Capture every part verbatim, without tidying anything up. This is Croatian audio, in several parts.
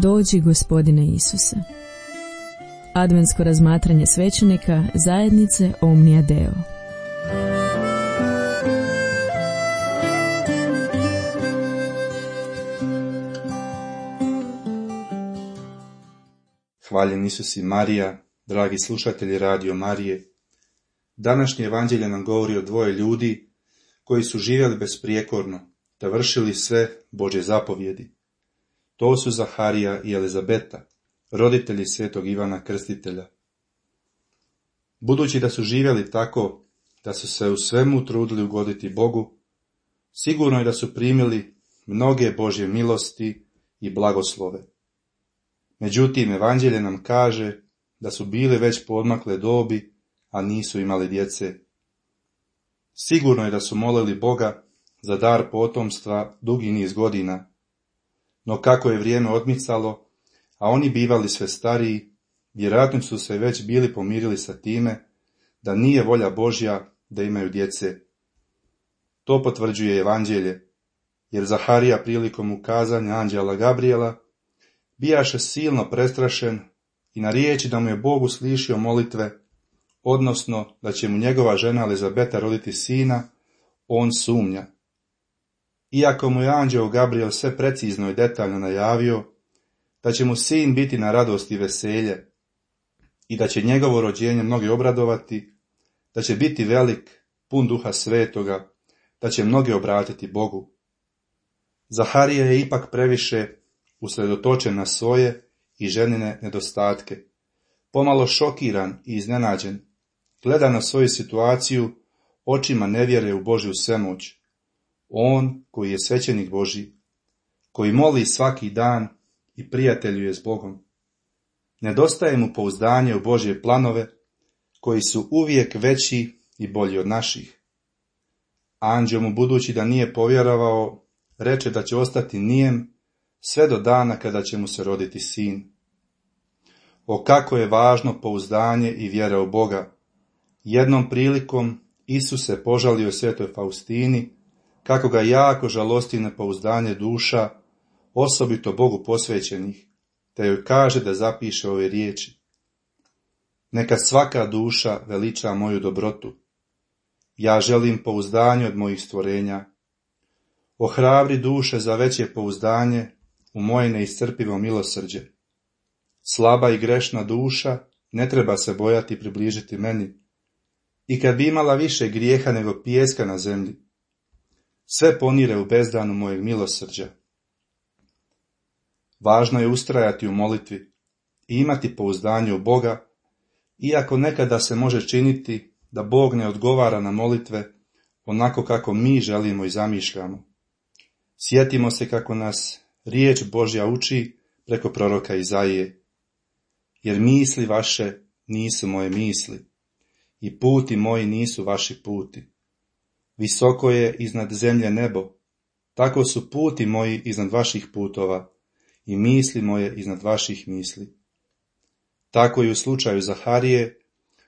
Dođi, Gospodine Isuse. Adventsko razmatranje svećenika zajednice Omnia Deo. Hvaljen Isus i Marija, dragi slušatelji Radio Marije. Današnje evanđelje nam govori o dvoje ljudi koji su živjeli besprijekorno, te vršili sve Božje zapovjedi. To su Zaharija i Elizabeta, roditelji svetog Ivana Krstitelja. Budući da su živjeli tako da su se u svemu trudili ugoditi Bogu, sigurno je da su primili mnoge Božje milosti i blagoslove. Međutim, evanđelje nam kaže da su bili već poodmakle dobi, a nisu imali djece. Sigurno je da su molili Boga za dar potomstva dugi niz godina, no kako je vrijeme odmicalo, a oni bivali sve stariji, vjerojatno su se već bili pomirili sa time da nije volja Božja da imaju djece. To potvrđuje evanđelje, jer Zaharija prilikom ukazanja anđela Gabrijela bijaše silno prestrašen i na riječi da mu je Bog uslišio molitve, odnosno da će mu njegova žena Elizabeta roditi sina, on sumnja. Iako mu je anđeo Gabrijel sve precizno i detaljno najavio da će mu sin biti na radost i veselje i da će njegovo rođenje mnogi obradovati, da će biti velik, pun Duha Svetoga, da će mnogi obratiti Bogu. Zaharija je ipak previše usredotočen na svoje i ženine nedostatke. Pomalo šokiran i iznenađen, gleda na svoju situaciju očima nevjere u Božju svemoć. On koji je svećenik Božji, koji moli svaki dan i prijateljuje s Bogom. Nedostaje mu pouzdanje u Božje planove, koji su uvijek veći i bolji od naših. Anđeo mu, budući da nije povjerovao, reče da će ostati nijem sve do dana kada će mu se roditi sin. O kako je važno pouzdanje i vjera u Boga. Jednom prilikom Isus se požalio svetoj Faustini kako ga jako žalosti nepouzdanje duša, osobito Bogu posvećenih, te joj kaže da zapiše ove riječi. Neka svaka duša veliča moju dobrotu. Ja želim pouzdanje od mojih stvorenja. Ohrabri duše za veće pouzdanje u moje neiscrpivo milosrđe. Slaba i grešna duša ne treba se bojati približiti meni. I kad bi imala više grijeha nego pijeska na zemlji, sve ponire u bezdanu mojeg milosrđa. Važno je ustrajati u molitvi i imati pouzdanje u Boga, iako nekada se može činiti da Bog ne odgovara na molitve onako kako mi želimo i zamišljamo. Sjetimo se kako nas riječ Božja uči preko proroka Izaije. Jer misli vaše nisu moje misli, i puti moji nisu vaši puti. Visoko je iznad zemlje nebo, tako su puti moji iznad vaših putova i misli moje iznad vaših misli. Tako i u slučaju Zaharije,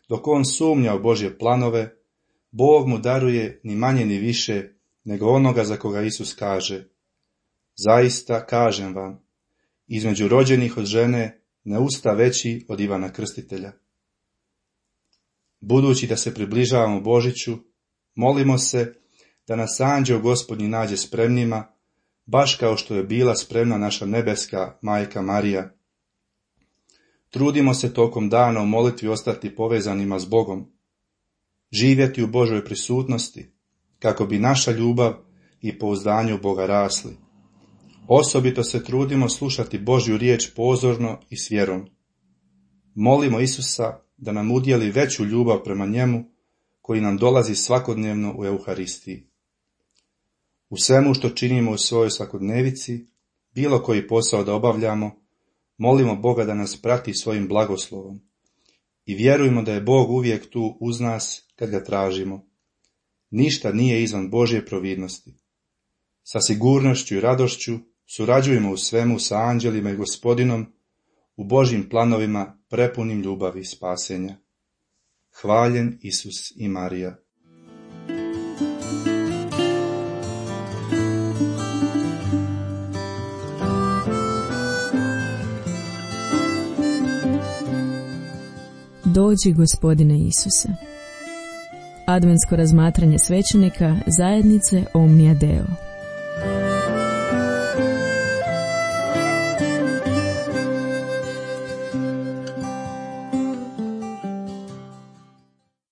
dok on sumnja u Božje planove, Bog mu daruje ni manje ni više nego onoga za koga Isus kaže. Zaista kažem vam, između rođenih od žene ne usta veći od Ivana Krstitelja. Budući da se približavamo Božiću, molimo se da nas anđeo Gospodnji nađe spremnima, baš kao što je bila spremna naša nebeska majka Marija. Trudimo se tokom dana u molitvi ostati povezanima s Bogom, živjeti u Božoj prisutnosti, kako bi naša ljubav i pouzdanje u Boga rasli. Osobito se trudimo slušati Božju riječ pozorno i s vjerom. Molimo Isusa da nam udjeli veću ljubav prema njemu, koji nam dolazi svakodnevno u Euharistiji. U svemu što činimo u svojoj svakodnevici, bilo koji posao da obavljamo, molimo Boga da nas prati svojim blagoslovom i vjerujemo da je Bog uvijek tu uz nas kad ga tražimo. Ništa nije izvan Božje providnosti. Sa sigurnošću i radošću surađujemo u svemu sa anđelima i Gospodinom u Božjim planovima prepunim ljubavi i spasenja. Hvaljen Isus i Marija. Dođi, Gospodine Isuse. Adventsko razmatranje svećenika zajednice Omnia Deo.